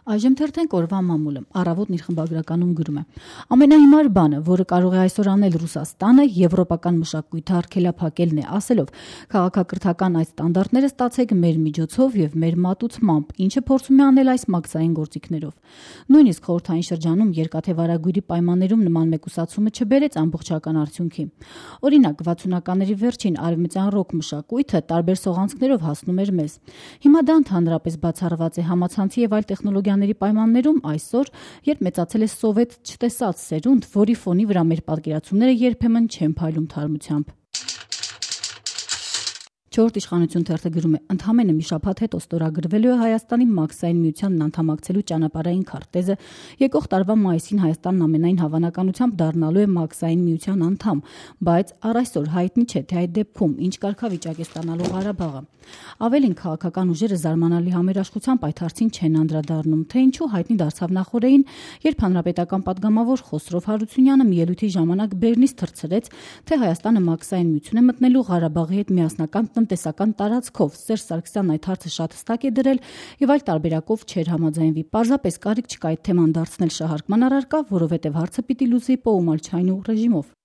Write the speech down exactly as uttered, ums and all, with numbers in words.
Այժմ թերթենք օրվա մամուլը։ Առավոտն իր խմբագրականում գրում է. ամենահիմար բանը, որը կարող է այսօր անել Ռուսաստանը, եվրոպական մշակույթը արգելափակելն է, ասելով քաղաքակրթական այդ ստանդարտները ստացեք մեր միջոցով եւ մեր մատուցմամբ, ինչը փորձում է անել այս մաքսային գործիքներով։ Նույնիսկ խորհրդային շրջանում երկաթե վարագույրի պայմաններում նման մեկուսացումը չբերեց ամբողջական արդյունքի։ Օրինակ, վաթսունականների վերջին արևմտյան ռոք մշակույթը տարբեր սողանցքներով հասնում էր մեզ։ Հիմա դա ընդհանրապես բացառված է համացանցի եւ այլ տեխնոլոգիաների պայմաններում այսօր, երբ մեծացել է սովետ չտեսած սերունդ, որի ֆոնի վրա մեր պատկերացումները երբեմն չեն փայլում թարմությամբ։ Չորրորդ իշխանություն թերթը գրում է. ընդամենը մի շաբաթ հետո ստորագրվելու է Հայաստանի մաքսային միությանն անդամակցելու ճանապարհային քարտեզը, եկող տարվա մայիսին Հայաստանն ամենայն հավանականությամբ դառնալու է մաքսային միության անդամ, բայց առ այսօր հայտնի չէ, թե այդ դեպքում ինչ կարգավիճակ է ստանալու Ղարաբաղը։ Ավելին, քաղաքական ուժերը զարմանալի համերաշխությամբ այդ հարցին չեն անդրադառնում, թե ինչու հայտնի դարձավ նախորդին, երբ հանրապետական պատգամավոր Խոսրով Հարությունյանը մի ելույթի ժամանակ Բեռնից թռցրեց, թե Հայաստանը մաքսային միություն է մտնելու Ղարաբաղի հետ միասնական տնտեսական տարածքով։ Սերժ Սարգսյանն այդ հարցը շատ հստակ է դրել եւ այլ տարբերակով չէր համաձայնվի։ Պարզապես կարիք չկա այդ թեման դարձնել շահարկման առարկա, որովհետեւ հարցը պիտի լուծի Պոումալչայնու ռեժիմով։